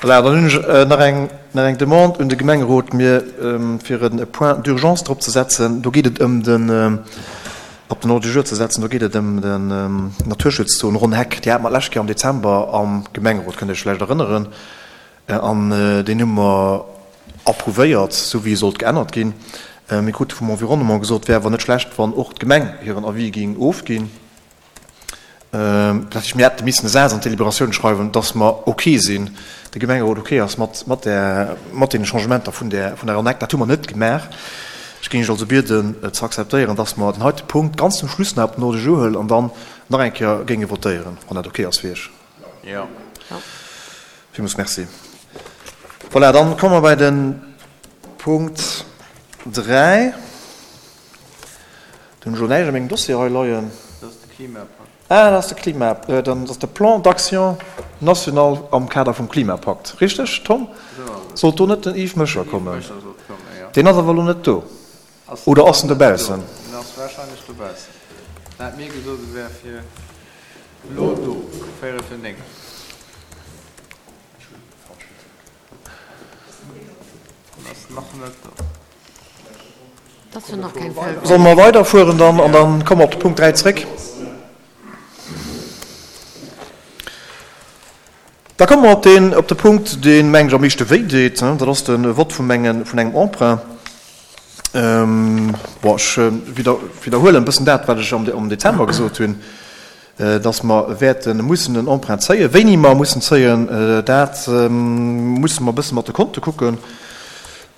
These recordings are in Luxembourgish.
Voilà, dann hunn ech nach eng, nach eng Demande un de Gemengerot, mir fir e Point d'urgence drop ze setzen. Do geet et ëm den, op den Ordre du jour ze setzen, do geet et ëm den Naturschutzzon Ronn Heck. Déi hate mer d'lescht Kéier am Dezember am Gemengerot, kënnt Iech vläicht erënneren. An deen hu mer approuvéiert, esou wéi e sollt geännert ginn. Mir krute vum Environnement gesot, et wär awer net schlecht, wann och d'Gemeng hiren Avis géing ofginn. Dat heescht, mir hätte missen e Saz an d'Deliberatioun schreiwen, dass mer ok sinn, de Gemengerot ok ass mat, mat där, mat deene Changementer vun där, vun der Annex. Dat hu mer net gemaach. Ech géing Iech also bieden, ze akzeptéieren, dass mer den heite Punkt ganz zum Schluss nach op den Ordre du jour huelen an dann nach eng Kéier géinge votéieren, wann dat ok ass fir Iech. Jo. Villmools Merci. Voilà, dann komme mer bei de Punkt 3. Do hunn ech elo näischt a mengem Dossier hei leien. Dat ass de Klimapakt. Ah, dat ass de Klima, dann ass de Plan d'action national am Kader vum Klimapakt. Richteg, Tom? Sollt do net den Yves Möscher kommen? Deen ass awer elo net do. Oder ass en dobaussen? Deen ass warscheinlech dobaussen. En hat mir gesot, e wär fir elo do, véierel fir 9. En ass nach net do. Solle mer weiderfueren dann an dann komme mer op de Punkt 3 zréck? Da komme mer op deen, op de Punkt, deen, meng ech, am meeschte wéi deet. Dat ass de Vott vum engen, vun engem Emprunt. Bon, ech widderhuelen e bëssen dat, wat ech am Dezember gesot hunn. dass mer wäerte mussen en Emprunt zéien. Wéini mer mussen zéien, dat musse mer e bësse mat de Konte kucken.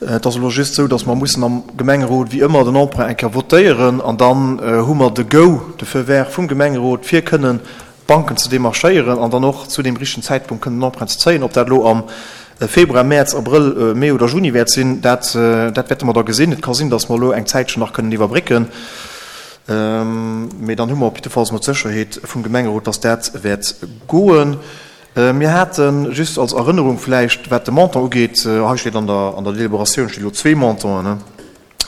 Et ass elo just esou, dass mer mussen am Gemengerot wéi ëmmer den Emprunt eng Kéier votéieren an dann hu mer de Go, de Feu vert vum Gemengerot, fir kënnen d'Banken ze demarchéieren an dann och zu deem richtegen Zäitpunkt kënnen den Emprunt ze zéien. Ob dat elo am Februar, Mäerz, Abrëll, Mee oder Juni wäert sinn, dat wäerte mer da gesinn. Et ka sinn, dass mer elo eng Zäitchen nach kënnen iwwerbrécken. Mee dann hu mer op jiddefalls mol d'Sécherheet vum Gemengerot, dass dat wäert goen. Mir hate just als Erënnerung vläicht, wat de Montant ugeet, hei steet an der, an der Deliberatioun steet elo zwee Montanten,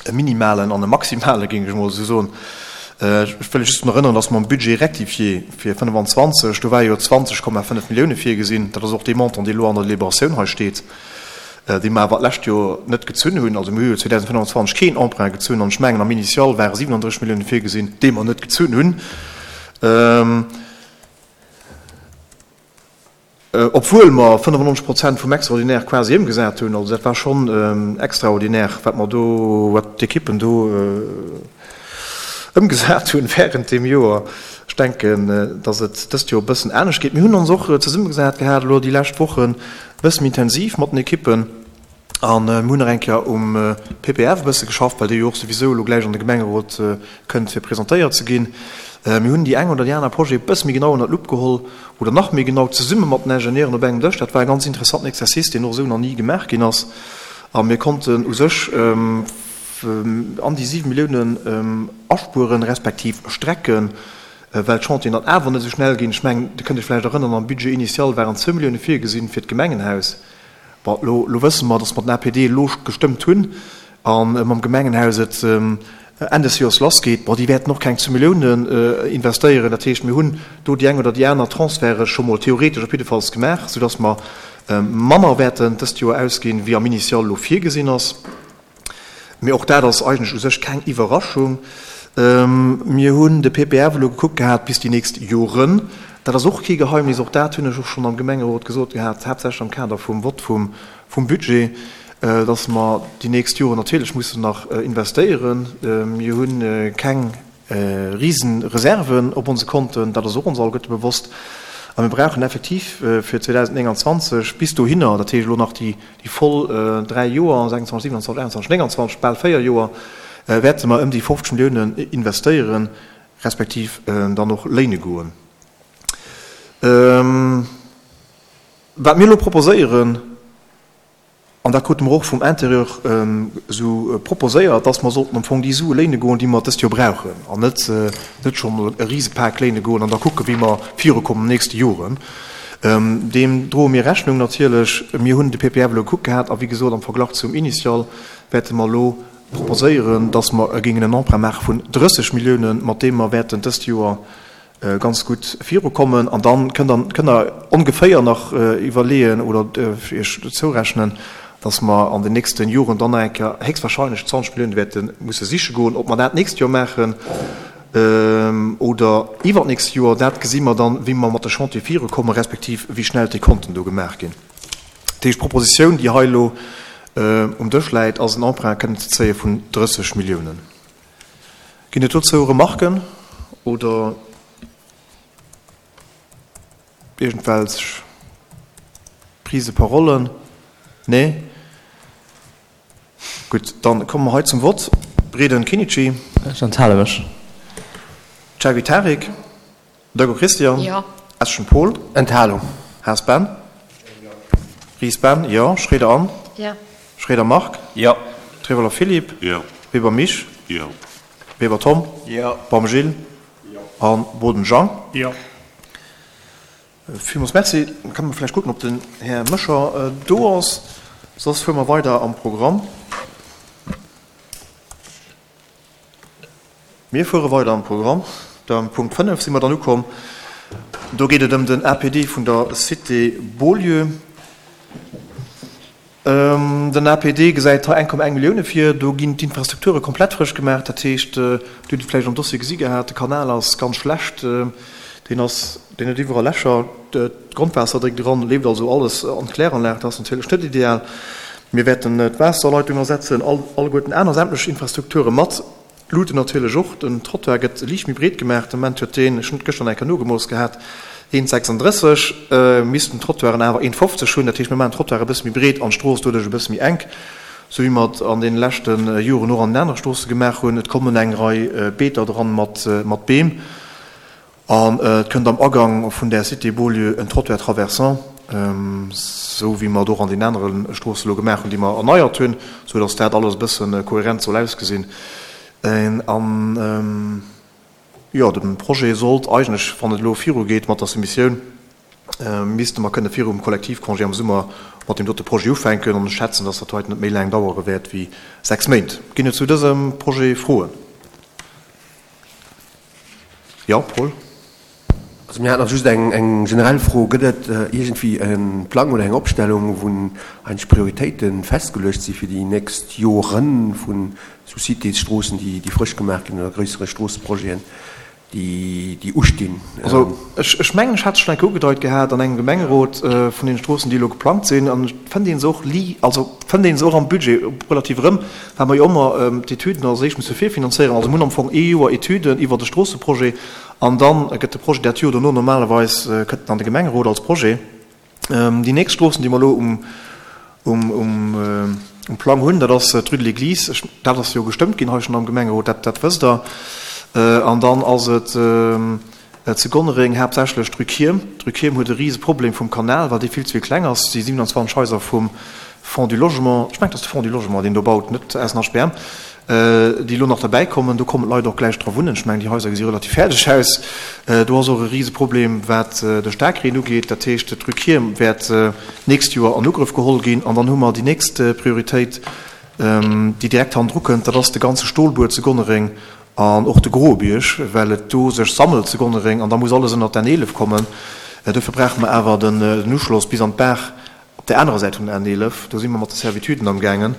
e minimalen an e maximale géing ech emol esou soen. Ech wëll lech just drun erënneren, dass mer am Budget rectifié fir 25, do war jo 20,5 Millioune virgesinn, dat ass och dee Montant, dee elo an der Deliberatioun hei steet. déi mer awer d'lescht Joer net gezunn hunn. Also mir hu jo 2025 keen Emprunt gezunn an ech mengen am Initial ware 37 Milliounen virgesinn, déi mer net gezunn hunn, obwuel mer 95 Prozent vum Extraordinaire quasi ëmgesat hunn. Also dat war schonn extraordinaire, wat mer do, wat d'Ekippen do ëmgesat hunn während deem Joer. Ech denken, datt et dëst Joer e bëssen anescht geet. Mir hunn ons och zesummegesat gehat elo déi lescht Wochen, e bësse méi intensiv mat den Ekippen an mir hunn nach eng Kéier um PPF e bësse geschafft, well dee jo och souwisou elo gläich an de Gemengerot kënnt fir presentéiert ze ginn. Mir hunn déi eng oder déi aner Projet e bësse méi genau ënner d'Lupp geholl oder nach méi genau zesumme mat den Ingenieuren op engem Dësch. Dat war e ganz interessanten Exercice, deen och esou nach ni gemaach ginn ass a mir konnten u sech an déi 7 Milliounen aspueren, respektiv strecken, well d'Chantieren dann awer net esou schnell ginn. Ech mengen, Dir kënnt Iech vläicht erënnern, am Budget initial waren zwou Millioune virgesinn fir d'Gemengenhaus. Bon, elo, elo wësse mer, datt mer den APD elo gestëmmt hunn a mam Gemengenhaus et Enn des Joers lassgeet. Bon, déi wäerten och keng zwou Milliounen investéieren. Dat heescht, mir hunn do déi eng oder déi aner Transferte scho mol theoretesch op jiddefalls gemaach, soudatt mer manner wäerten dëst Joer ausginn, wéi am Initial elo virgesinn ass. Mee och dat ass eigentlech u sech keng Iwwerraschung. Mir hunn de PPF elo gekuckt gehat bis déi nächst Joren. Dat ass och kee Geheimnis, och dat hunn ech och schonn am Gemengerot gesot gehat, haaptsächlech am Kader vum Vott vum Budget, dass mer déi nächst Joren natierlech mussen nach investéieren. Mir hu keng Risenreserven op onse Konten, dat ass och ons alleguerte bewosst. A mir brauchen effektiv fir 2029 bis dohinner, dat heescht elo nach déi voll dräi Joer, 26, 27, 28, 29, bal véier Joer, wäerte mer ëm déi 50 Milliounen investéieren, respektiv dann och léine goen. Wat mir elo proposéieren, An dat krute mer och vum Intérieur esou proposéiert, dass mer sollten am Fong déi Sue léine goen, déi mer dëst Joer brauchen, an net net scho mol e Risepak léine goen an da kucken, wéi mer virukommen an den nächste Joren. Deem droe mir Rechnung natierlech. Mir hunn de PPF elo gekuckt gehat a wéi gesot, am Verglach zum Initial wäerte mer elo proposéieren, dass mer géingen en Emprunt maache vun 30 Milliounen, mat deem mer wäerten dëst Joer. ganz gutt virukommen. An dann kënnt Der, kënnt Der ongeféier nach iwwerleeën oder Iech zourechnen, dass mer an den nächste Joren dann nach eng Kéier héchstwahrscheinlech 20 Milliounen wäerte musse siche goen. Ob mer dat d'nächst Joer maachen oder iwwernächst Joer, dat gesi mer dann, wéi mer mat de Chantiere virukommen, respektiv wéi schnell d'Dekonten do gemaach ginn. Dat heescht, d'Propositioun, déi hei elo um Dësch läit, ass en Emprunt kënnen ze zéie vun 30 Milliounen. Ginn et dozou Remarken oder iergendwelch Prise de parole? Nee? Gutt, dann komme mer hei zum Vott. Breden Kinnici. Ech enthale mech. Xavi Tarik. Döger Christian. Jo. Eschen Paul. Enthalung. Haas Ben. Jo. Ries Ben, jo. Schroeder Anne. Jo. Schroeder Marc. Jo. Trevoller Philippe. Jo. Weber Misch. Jo. Weber Tom. Jo. Baum Gilles. Jo. An Boden Jean. Jo. Villmools Merci. Da kënne mer vläicht kucken, ob den Här Moscher do ass. Soss fuere mer weider am Programm. Mir fuere weider am Programm. Beim Punkt 5 si mer dann ukomm. Do geet et ëm den APD vun der Cité Beaulieu. Den APD gesäit hei 1,1 Millioune vir. Do ginn d'Infrastrukture komplett frësch gemaach. Dat heescht, Dir hutt et vläicht am Dossier gesi gehat, de Kanal ass ganz schlecht, deen ass, deen huet iwwerall Lächer, d'Grondwaasser dréckt eran, leeft also alles an d'Kläranlag. Dat ass natierlech net ideal. Mir wäerten d'Waasserleitung ersetzen, alleguerten aner sämtlech Infrastrukture mat. D'Luuten natierlech och. Den Trottoir gëtt liicht méi breet gemaach. De Moment huet deen, ech hunn et gëschter nach eng Kéier nogemooss gehat, 1,36. Missten d'Trottoiren awer 1,50 hunn. Dat heescht, mir maachen d'Trottoire e bësse méi breet an d'Strooss doduerch e bësse méi enk, sou wéi mer et an deene leschte Joren och an den anere Stroosse gemaach hunn. Et kommen eng Rei Beeter dran mat Beem. An et kënnt am Agang vun där Cité Beaulieu en Trottoir traversant, esou wéi mer et och an den anere Stroosse elo gemaach hunn, déi mer erneiert hunn, esou datt dat alles e bësse kohärent soll ausgesinn. An, jo, de Projet sollt eigentlech, wann et elo virugeet mat der Soumissioun, misste mer kënne virum Kollektivcongé am Summer mat deem dote Projet ufänken. An ech schätzen, datt dat heiten net méi laang dauere wäert wéi 6 Méint. Ginn et zu dësem Projet Froen? Jo, Paul? Also mir haten nach just eng, eng generell Fro. Gëtt et iergendwéi e Plang oder eng Opstellung, wou eigentlech Prioritéite festgeluecht si fir déi nächst Jore vun sou Citésstroossen, déi, déi frësch gemaach ginn oder gréissere Stroosseprojeten, déi, déi ustinn? Also ech, ech mengen, ech hat et schonn eng Kéier ugedeit gehat an engem Gemengerot vun deene Stroossen, déi elo geplangt sinn. An et fënnt ee se och li, also fënnt ee se och am Budget relativ erëm. Well mer jo ëmmer d'Etüden als éischt musse virfinanzéieren. Also mir hunn am Fong ee Joer Etüden iwwert e Stroosseprojet an da gëtt de Projet dat Joer dono normalerweis kënnt en an de Gemengerot als Projet. Déi nächst Stroossen, déi mer elo um Plang hunn, dat ass d'Rue de l'Église. Dat ass jo gestëmmt ginn hei schonn am Gemengerot, dat wësst Der. An dann ass et Zu Gonnereng haaptsächlech d'Rue Kierm. D'Rue Kierm huet e rise Problem vum Kanal, well dee vill ze vill kleng ass. Déi 27 Haiser vum Fonds du Logement, ech mengen et ass de Fonds du Logement deen do baut, net SNHBM, déi elo nach derbäi kommen, do kommen d'Leit och gläich dra wunnen. Ech mengen déi Haiser gesi relativ fäerdeg aus. Do ass och e rise Problem wat de Staarkreen ugeet. Dat heescht d'Rue Kierm wäert d'nächst Joer an Ugrëff geholl ginn. An dann hu mer déi nächst Prioritéit, déi direkt hannendru kënnt, dat ass de ganze Stolbuer zu Gonnereng An och de Groebierg, well et do sech sammelt zu Gonnereng an da muss alles ënnert d'N 11 kommen. Dofir brauche mer awer den Uschloss bis an d'Baach op där anerer Säit vun der N 11. Do si mer mat de Servituden amgaangen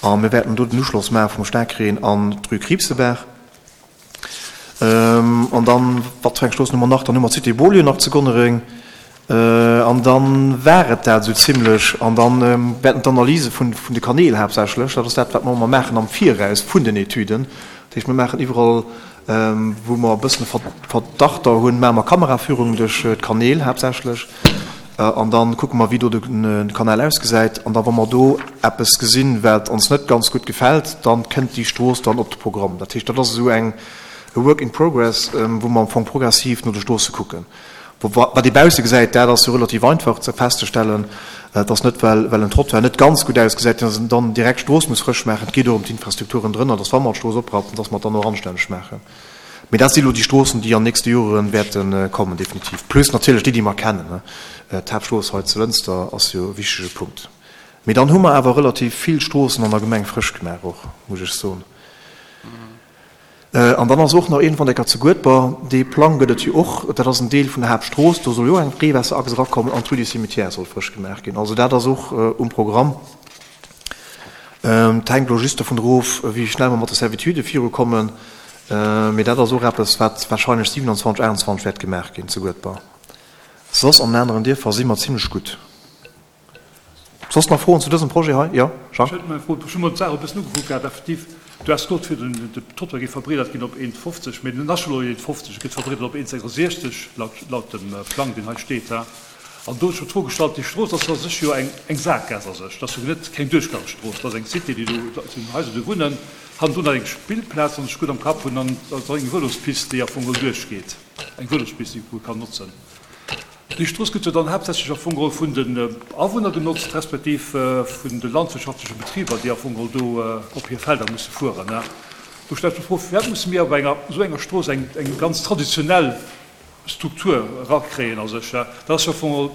a mir wäerten do den Uschloss maache vum Staarkreen an d'Rue Kriibsebaach. An dann, wat fir eng Stroossen hu mer nach? Dann hu mer d'Cité Beaulieu nach zu Gonnereng. An dann war et dat esou zimlech. An dann wäerten d'Analyse vun de Kanäl haaptsächlech, dat ass dat, wat mer ëmmer maachen am Viraus vun den Etüden, dat heescht, mir maachen iwwerall, wou mer e bëssen Verdachter hunn, maache mer Kameraführungen duerch d'Kanäl haaptsächlech. An da kucke mer, wéi do de Kanal ausgesäit. An da wa mer do eppes gesinn, wat ons net ganz gutt gefält, da kënnt déi Strooss dann op de Programm. Dat heescht, dat ass esou eng e Work in progress, wou mer am Fong progressiv no de Stroosse kucken. Wat ee bausse gesäit, dat ass jo relativ einfach ze festzestellen. Et ass net, well well en Trottoir net ganz gutt ausgesäit, datt een dann direkt d'Strooss muss frësch maachen. Et geet och ëm d'Infrastrukturen drënner, datt wa mer d'Strooss oprappen, datt mer et dann och anstänneg maachen. Mee dat si elo déi Stroossen, déi an nächste Jore wäerte kommen, definitiv. Plus natierlech déi, déi mer kennen. D'Haaptstrooss hei zu Lënster ass jo e wichtege Punkt. Mee dann hu mer awer relativ vill Stroossen an der Gemeng frësch gemaach och, muss ech soen. An dann ass och nach iergendwann eng Kéier zu Guedber, dee Plang gëtt et jo och, dat ass en Deel vun der Haaptstrooss, do soll jo och eng Reewaasserachs erakommen an d'Rue du Cimetière soll frësch gemaach ginn. Also dat ass och um Programm. Et hänkt elo just dovun erof, wéi schnell mer mat de Servitudë virukommen. Mee dat ass och eppes, wat warscheinlech 27, 28 wäert gemaach ginn zu Guedber. Soss an den aneren Dierfer si mer zimlech gutt. Soss nach Froen zu dësem Projet hei? Jo, Jacques? Ech hätt nach eng Fro. Ech hu mer d'Saach e bëssen ugekuckt gehat. Effektiv, du has gesot, fir den Trottoir géif verbreedert ginn op 1,50, mee den ass scho elo 1,50, e gëtt verbreedert op 1,66 laut, laut dem Plang, deen hei steet. An do hunn ech mer d'Fro gestallt, déi Strooss ass a sech jo eng, eng Sakgaass a sech, dat ass jo net keng Duerchgangsstrooss, dat ass eng Cité, déi do, dat sinn Haiser, déi do wunnen, hannendrun nach eng Spillplaz, wann ech gutt am Kapp hunn, an da ass eng Vëlospist, déi am Fong geholl duerchgeet, eng Vëlospist, déi ee kann notzen. Déi Strooss gëtt jo dann haaptsächlech am Fong geholl vun den Awunner genotzt, respektiv vun de landwirtschaftleche Betriber, déi am Fong geholl do op hir Felder musse fueren. Do stellt sech d'Fro, Firwat musse mir op enger esou enger Strooss eng ganz traditionell Struktur erakréien a sech? Dat ass jo am Fong geholl,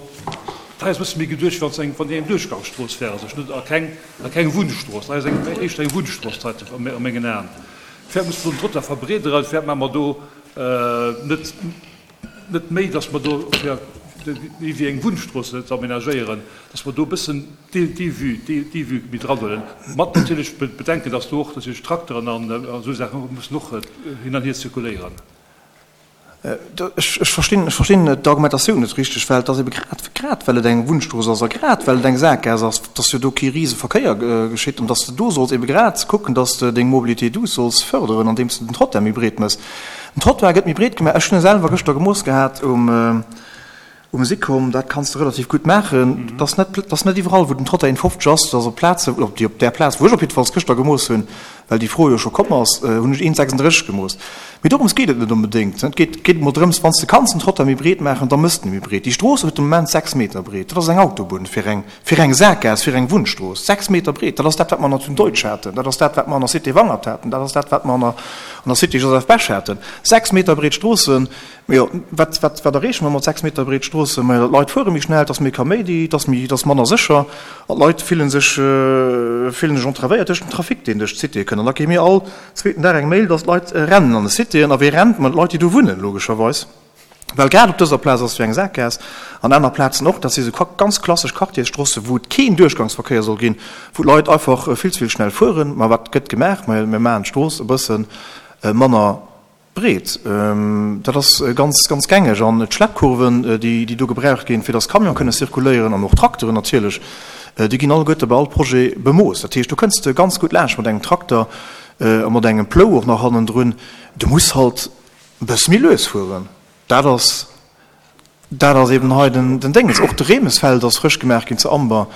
dat ass e bësse méi geduecht, wéi wann eng, wann déi eng Duerchgangsstrooss wär a sech, net a keng, a keng Wunnstrooss. Dat ass eng, éischter eng Wunnstrooss hei a mengen Aen. Firwat musse mer do den Trottoir verbreederen? Firwat maache mer do net, net méi, dass mer do, fir méi wéi eng Wunnstrooss ze aménagéieren, dass mer do e bëssen déi Vue, déi Vue méi dran huelen, mat natierlech Bedenken, dass do och natierlech Trakteren an esou Saachen och mussen och hin an hier zirkuléieren. Ech verstinn, ech verstinn d'Argumentatioun net richteg, well et ass ebe grad, grad well et eng Wunnstrooss ass a grad well et eng Sakgaass ass, dass jo do kee Riseverkéier geschitt an dass de do solls ebe grad kucken, dass de deng Mobilité douce solls förderen, andeems de den Trottoir méi breet méchs. Den Trottoir gëtt méi breet gemaach. Ech hunn e selwer gëschter gemooss gehat um um Sicom. Dat kanns de relativ gutt maachen. Et ass net, et ass net iwwerall, wou den Trottoir 1,50 ass. Et ass op Plazen, op déi, op där Plaz, wou ech op jiddefalls gëschter gemooss hunn, well déi Fro jo scho komm ass, hunn ech 1,36 gemooss. Mee dorëms geet et net onbedéngt. Et geet, geet emol drëms, wann s de kanns den Trottoir méi breet maachen, da mëss de en méi breet. Déi Strooss huet de Moment 6 Meter breet. Dat ass eng Autobunn fir eng Fir eng Sakgaass, fir eng Wunnstrooss, 6 Meter breet, dat ass dat, wat mer an der Zone Deutsch haten, dat ass dat, wat mer an der Cité Wangert haten, dat ass dat, wat mer an der, an der Cité Joseph Bech haten. 6 Meter breet Stroossen, jo, wat, wat, wat erreeche mer mat 6 Meter breet Stroossen? Majo, d'Leit fuere méi schnell, et ass méi Kaméidi, et ass méi, et ass manner sécher an d'Leit fillen sech, fillen sech entravéiert duerch den Trafic, deen duerch d'Citéë kënnt. An da kréie mir all zweeten Dag eng Mail, dass d'Leit rennen an de Citéen. A wee rennt? Ma d'Leit, déi do wunnen, logescherweis. Well grad op dëser Plaz ass jo eng Sakgaass, an aner Plazen och, dat si sou ganz klassesch Quartiersstroosse wou et keen Duerchgangsverkéier soll ginn, wou d'Leit einfach vill ze vill schnell fueren. Ma wat gëtt gemaach? Majo, mir maachen d'Strooss e bësse manner breet. Dat ass ganz, ganz gängeg. An d'Schleppkurven, déi do gebraucht ginn, fir datt Camione kënne zirkuléieren an och Trakteren natierlech, déi ginn alleguerte bei all Projet bemooss. Dat heescht, do kënns de ganz gutt laanscht mat engem Trakter a mat engem Plou och nach hannendrun. Du muss halt E bësse méi lues fueren, dat ass, dat ass eben hei den, den Dénges. Och de Remesfeld ass frësch gemaach ginn zu Amber.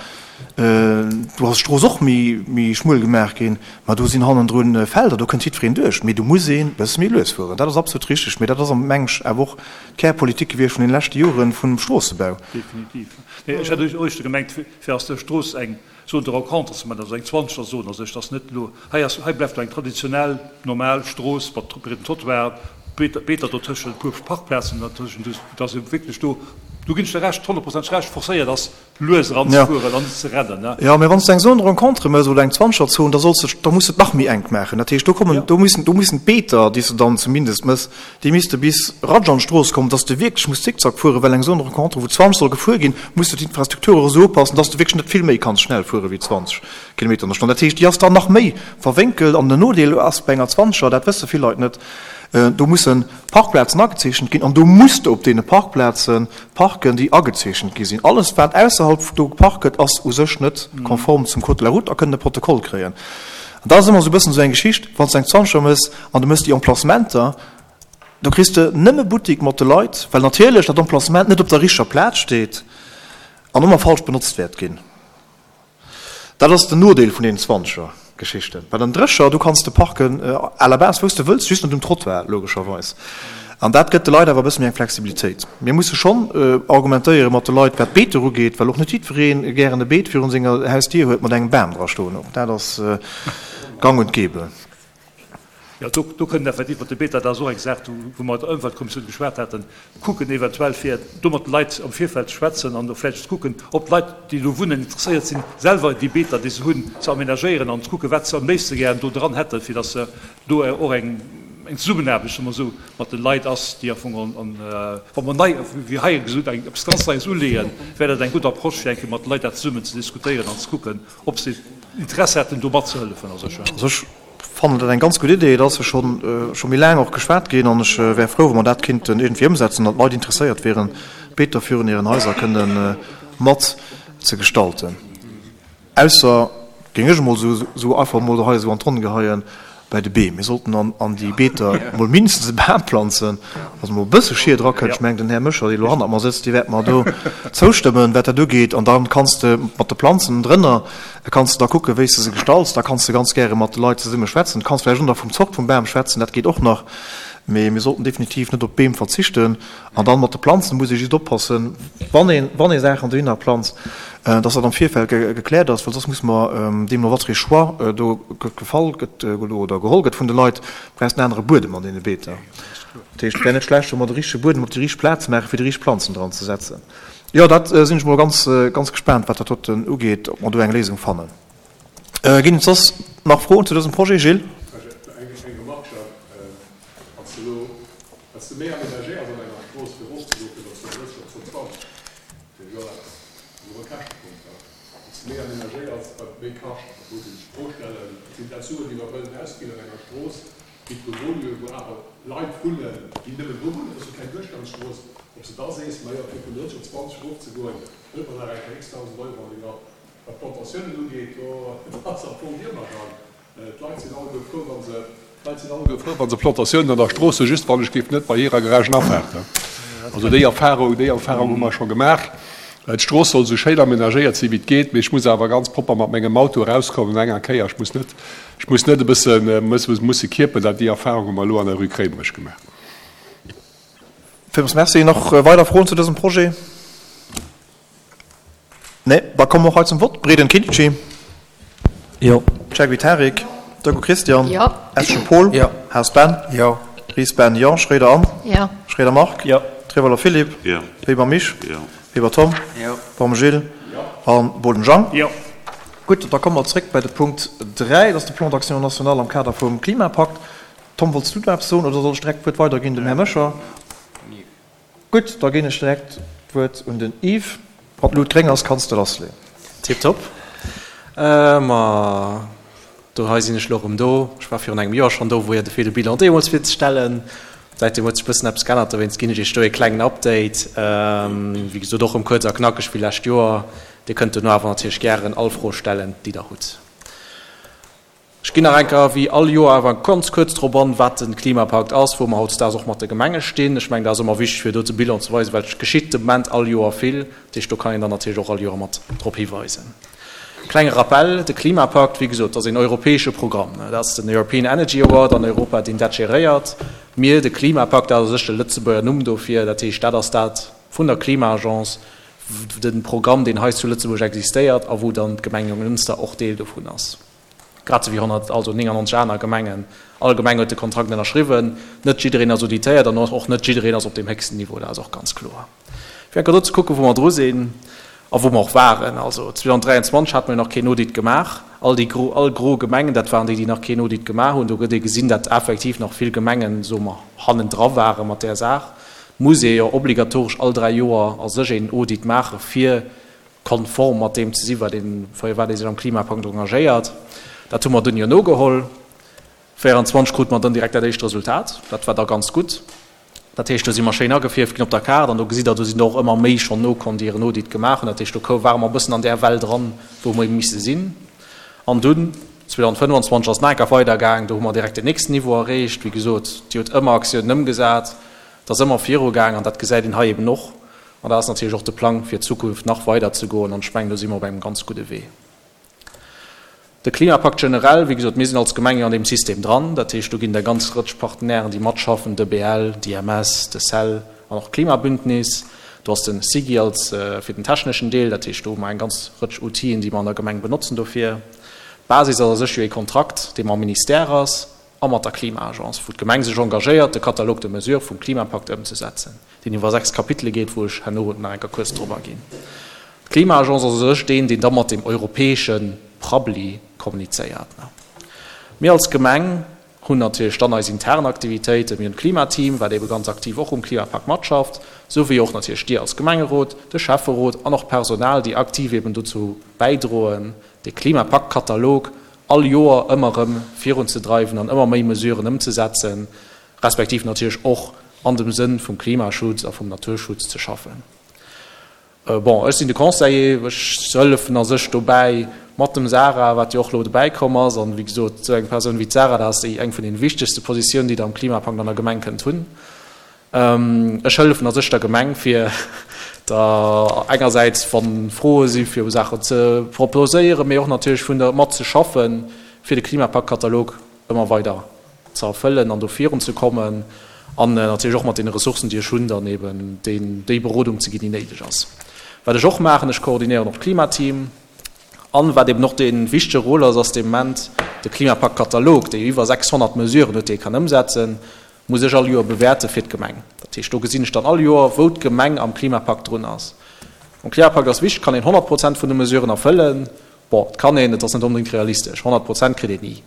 Do ass d'Strooss och méi, méi schmuel gemaach ginn. Ma do sinn hannendrun Felder, do kënnt jiddwereen duerch. Mee do muss een e bësse méi lues fueren. Dat ass absolut richteg. Mee dat ass am meng ech awer och d'Kärpolitik gewiescht vun deene leschte Joren vum Stroossebau. Definitiv. Nee, ech hätt éischter gemengt, fir aus der Strooss eng Zone de rencontre ze maachen, also eng Zwanzegerzon a sech, dass net elo, hei ass, hei bleift elo eng traditionell, normal Strooss mat breedem Trottoir, Beeter dotëschent, e puer Parkplazen dertëschent, dass ee wierklech do, do ginn ech der Recht, honnertprozenteg Recht, forcéiert ass, lues eranzefueren an net ze rennen. Jo, mä wann s de eng Zone de rencontre méchs oder eng Zwanzegerzon, da solls de, da muss de et nach méi enk maachen. Dat heescht, do kommen, do müssen, do müssen d'Beeter, déi s de dann zumindest méchs, Déi misste bis ratsch an d'Strooss kommen, dass de wierklech muss zickzack fueren, well eng Zone de rencontre, wou 20 soll gefuer ginn, muss de d'Infrastruktur och esou upassen, dass de wierklech net vill méi kanns schnell fuere wéi 20 Kilometer an der Stonn. Dat heescht, déi ass dann nach méi verwénkelt. An den Nodeel ass bei enger Zwanzeger, dat wësse vill Leit net, do musse Parkplazen agezeechent ginn an do muss de op deene Parkplaze parken, déi agezeechent gi sinn. Alles, wat ausserhalb do geparkt gëtt, ass u sech net konform zum Code de la route a kënnt e Protokoll kréien. An dat ass ëmmer esou e bëssen esou eng Geschicht, wann s de eng Zwanzeger méchs an du méchs déi Emplacementer, do kriss de nëmme Buttik mat de Leit, well natierlech dat Emplacement net op der richteger Plaz steet an ëmmer falsch benotzt wäert ginn. Dat ass den Nodeel vun deenen Zwanzeger-Geschichten. Bei den Drécher, do kanns de parken à la base wou s de wëlls, just net um Trottoir logescherweis. An dat gëtt de Leit awer e bësse méi eng Flexibilitéit. Mir musse schonn argumentéiere mat de Leit, wat d'Beeter ugeet, well och net jiddweree gären e Beet virun senger Hausdier huet mat engem Bam dra stoen. Och dat ass gang und gäbe. Jo, do, do kënnen effektiv mat de Beeter, dat ass och eng Saach, do wou mer mat der Ëmweltkommissioun geschwat haten, kucken eventuell fir do mat de Leit am Virfeld ze schwätzen an och vläicht ze kucken, ob d'Leit, déi do wunnen, interesséiert sinn, selwer déi Beeter, déi se hunn, ze aménagéieren an ze kucken, wat se am léifste gären do dran hätten, fir datt se do och eng. eng Zesummenaarbecht, soe mer esou, mat de Leit ass, déi am Fong an, wa mer nei, wéi hei gesot, eng eppes ganz Neies uleeën, wär dat eng gutt Approche, fir eng Kéier mat de Leit dat zesummen ze diskutéieren an ze kucken, ob se Interesse hätten, do matzehëllefen a sech. Also ech fannen dat eng ganz gutt Idee. Et ass jo schonn, scho méi laang och geschwat ginn an ech wär frou, wa mer dat kinnten iergendwéi ëmsetzen, datt d'Leit interesséiert wieren, d'Beeter virun hiren Haiser kënnen mat ze gestalten. Ausser, géing ech emol esou einfach emol hei esou an d'Ronn geheien, bei de Beem. Mir sollten an déi Beeter emol mindestens e Bam planzen, dass emol e bësse Schied erakënnt. Ech mengen, den Här Mécher, dee elo hannert mer sëtzt, dee wäert mer do zoustëmmen, wat dat ugeet. An da kanns de mat de Planzen drënner, kanns de da kucken, wéi s de se gestalts. Da kanns de ganz gäre mat de Leit zesumme schwätzen. Du kanns vläicht och nach vum Zort vum Bam schwätzen, dat geet och nach. Mee mir sollten definitiv net op d'Beem verzichten. An dann mat de Planzen muss ee just oppassen, wann ee, wann ee Saachen dohinner planzt, dass dat am Virfeld gekläert ass, well soss muss mer deemno wat fir ee Choix do gefall gëtt oder geholl gëtt vun de Leit, brauchs en anere Buedem an deene Beeter. Dat heescht, et wär net schlecht, wa mer de richtege Buedem op déi richteg Plaz maachen, fir déi richteg Planzen dran ze setzen. Jo, dat sinn ech mol ganz, ganz gespaant, wat dat doten ugeet, ob mer do eng Léisung fannen. Ginn et soss nach Froen zu dësem Projet? Gilles? Eng Remarque, Jacques. Wann s de elo, wat s de méi aménagéiers an enger Strooss fir erofzegoen, fir der Zon 30 op d'Zon 20, fir jo dat ass och e Käschtepunkt, da wat s de méi aménagéiers, wat et méi kascht. Dat muss ee sech d'Fro stellen, sinn dat Suen, déi mer wëllen ausginn an enger Strooss, déi d'Bewohner, wou awer Leit wunnen, déi nëmmen do wunnen, dat ass jo keng Duerchgangsstrooss, ob s de da sees, majo fir vun 30 op 20 erofzegoen, huet mer nach eng Kéier x-Dausend Euro an de Grapp. Wat d'Plantatiounen ugeet, do ass am Fong d'Iwwergang. D'Leit sinn alleguer frou, wa se, d'Leit sinn alleguer frou, wa se Plantatiounen an der Strooss hunn, just wann ech géif net bei hirer Garagen afaarten. Also déi Erfahrung, déi Erfahrung hu mer scho gemaach. D'Strooss soll esou schéin aménagéiert sinn, wéi et geet, mee ech muss awer ganz propper mat mengem Auto erauskommen enger Kéier. Ech muss net, ech muss net e bësse musse kierpen. Dat, déi Erfahrung hu mer elo an der Rue Kréimerich gemaach. Villmools Merci. Nach weider Froen zu dësem Projet? Nee, da komme mer och hei zum Vott. Breden Kindschi. Jo. Cheikh Tarik. Deco Christian. Jo. Eschen Paul. Jo. Haas Ben. Jo. Ries Ben, jo. Schroeder Anne. Jo. Schroeder Marc. Jo. Trewolwer Philippe. Jo. Weber Misch. Jo. Weber Tom. Jo. Baum Gilles. Jo. An Boden Jang. Jo. Gutt, da komme mer zréck bei de Punkt 3, dat ass de Plan d'action national am Kader vum Klimapakt. Tom, wollts du do eppes soen oder soll ech direkt d'Wuert weiderginn dem Här Mécher? Gutt, da ginn ech direkt d'Wuert un den Yves. Wann d'Lut gréng ass, kanns de lassleeën. Tiptop. Ma do hei sinn ech elo erëm do. Ech war virun engem Joer schonn do, wou jo fir de Bilan deemools virzestellen. Säitdeem huet sech e bëssen eppes geännert, dowéinst ginn ech iech do ee klengen Update. Wéi gesot, och erëm kuerz a knackeg wéi lescht Joer. Dir kënnt dono awer natierlech gären all Fro stellen, déi der hutt. Ech ginn nach eng Kéier, wéi all Joer, awer ganz kuerz drop an, wat de Klimapakt ass, wou mer hautdesdaags och mat de Gemenge stinn. Ech mengen, dat ass ëmmer wichteg, fir do de Bilan ze weisen, well et geschitt de Moment all Joer vill. Dat heescht, do kann een dann natierlech och all Joer mat drop hiweisen. Klenge Rappel, De Klimapakt, wéi gesot, ass een europäesche Programm. Dat ass den European Energy Award an Europa, deen dat geréiert. Mir, de Klimapakt, dat ass u sech de Lëtzebuerger Numm dofir. Dat heescht, dat ass dat vun der Klima-Agence, de Programm, deen hei zu Lëtzebuerg existéiert a wou dann d'Gemeng Jonglënster och Deel dovun ass. Grad esou wéi 100, also 99 aner Gemengen. All Gemeng huet de Kontrakt ënnerschriwwen. Net jiddereen ass auditéiert an och net jiddereen ass op deem héchsten Niveau, dat ass och ganz kloer. Fir enker do ze kucken, wou mer dru sinn a wou mer och waren. Also 2023 hate mer jo nach keen Audit gemaach. All déi gro, all gro Gemengen, dat waren déi, déi nach keen Audit gemaach hunn. Do gëtt ee gesinn, datt effektiv nach vill Gemengen, soe mer, hannendra ware mat där Saach. Muss ee jo obligatoresch all 3 Joer a sech een Audit maache fir konform mat deem ze sinn, wat een, fir wat ee sech am Klimapakt engagéiert. Dat hu mer dunn jo nogeholl. 24 krute mer dann direkt dat éischt Resultat. Dat war da ganz gutt. Dat heescht, do si mer schéin agefierft ginn op der Kaart an do gesitt Der, do sinn der och ëmmer méi schonn nokomm, déi hiren Audit gemaach hunn. Dat heescht, do kou ware mer e bëssen an där Well dran, wou mer ebe misse sinn. An dunn, 2025 ass et nach eng Kéier weidergaang, do hu mer direkt den nächsten Niveau erreecht. Wéi gesot, Dir hutt ëmmer Aktiounen ëmgesat. Et ass ëmmer virugaang an dat gesäit een hei eben och. An dat ass natierlech och de Plang fir d'Zukunft nach weider ze goen an ech mengen, do si mer op engem ganz gudde Wee. De Klimapakt generell, wéi gesot, mir sinn als Gemeng jo an deem System dran. Dat heescht, do ginn et eng ganz Rëtsch Partenairen, déi matschaffen, d'EBL, d'IMS, de cell an och d'Klimabündnis. Do ass de SIGI als fir den techneschen Deel. Dat heescht, do hu mer eng ganz Rëtsch Outiten, déi mer an der Gemeng benotzen dofir. D'Basis ass a sech jo ee Kontrakt, dee mam Ministère ass. a mat der Klima-Agence, wou d'Gemeng sech engagéiert, de Catalogue de mesures vum Klimapakt ëmzesetzen, deen iwwer 6 Kapitele geet, wou ech herno nach eng Kéier kuerz drop aginn. D'Klima-Agence ass u sech deen, deen da mat dem europäesche Prabbeli kommunizéiert. Mir als Gemeng. Hunn natierlech dann eis intern Aktivitéiten. Mir hunn d'Klimateam, wat eebe ganz aktiv och um Klimapakt matschafft, esou wéi och natierlech Dir als Gemengerot, de Schäfferot an och d'Personal, déi aktiv eeben dozou bäidroen, de Klimapakt-Katalog all Joer ëmmer erëm virunzedreiwen an ëmmer méi Mesuren ëmzesetzen, respektiv natierlech och an dem Sënn vum Klimaschutz a vum Naturschutz ze schaffen. Bon, ech sinn de Conseiller, ech hëllefen a sech dobäi mat dem Sarah, wat jo och elo dobäi komm ass. An, wéi gesot, esou eng Persoun wéi d'Sarah, dat ass déi eng vun deene wichtegste Positiounen, déi Der am Klimapakt an der Gemeng kënnt hunn. Ech hëllefen a sech der Gemeng, fir der engersäits, wa Froe si fir Saachen ze proposéieren, mee och natierlech vun der matzeschaffen, fir de Klimapakt-Katalog ëmmer weider ze erfëllen an do virun ze kommen an natierlech och mat deene Ressourcen, déi ech hunn, dann eben déi Berodung ze ginn, déi néideg ass. Wat ech och maachen, ech koordinéieren och d'Klimateam. An wat eben och dee wichtege Rôle ass, ass de Moment de Klimapakt-Katalog, dee jo iwwer 600 Mesuren huet, déi ee kann ëmsetzen, muss ech all Joer bewäerte fir d'Gemeng. Dat heescht, do gesinn ech dann all Joer, wou d'Gemeng am Klimapakt drun ass. Am Klimapakt ass wichteg, kann een 100 Prozent vun de Mesuren erfëllen. Bon, et kann een, et ass net onbedéngt realistesch. 100 Prozent kritt een ni.